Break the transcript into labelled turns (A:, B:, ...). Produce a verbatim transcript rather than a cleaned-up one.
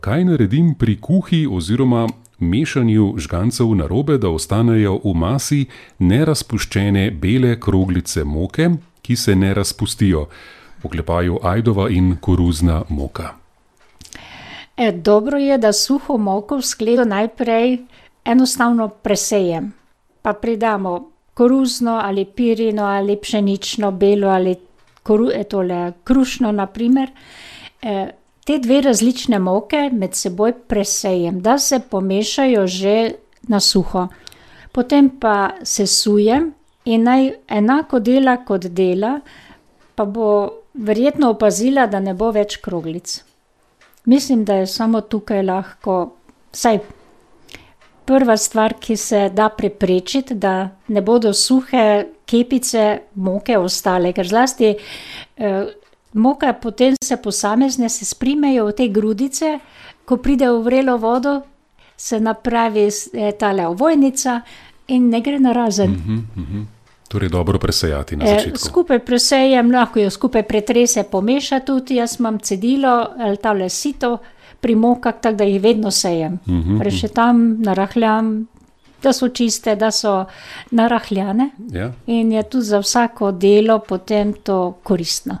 A: Kaj naredim pri kuhi oziroma mešanju žgancev narobe, da ostanejo v masi nerazpuščene bele kroglice moke, ki se ne razpustijo? V oklepaju ajdova in koruzna moka.
B: E, dobro je, da suho moko v skledo najprej enostavno presejem. Pa pridamo koruzno ali pirino ali pšenično, belo ali koru, e, tole, krušno na primer. E, te dve različne moke med seboj presejem, da se pomešajo že na suho. Potem pa sesujem in naj enako dela kot dela, pa bo verjetno opazila, da ne bo več kroglic. Mislim, da je samo tukaj lahko, vsaj prva stvar, ki se da preprečiti, da ne bodo suhe kepice moke ostale, ker zlasti eh, moka potem se posamezne se sprimejo v te grudice, ko pride v vrelo vodo, se napravi eh, tale ovojnica in ne gre narazen.
A: Uh-huh, uh-huh. Torej dobro presejati na začetku.
B: E, skupaj presejem, lahko jo skupaj pretrese, pomeša tudi, jaz imam cedilo ali tale sito pri mokah, tako da jih vedno sejem.
A: Uh-huh.
B: Rešetam, narahljam, da so čiste, da so narahljane.
A: Ja.
B: In je tudi za vsako delo potem to koristno.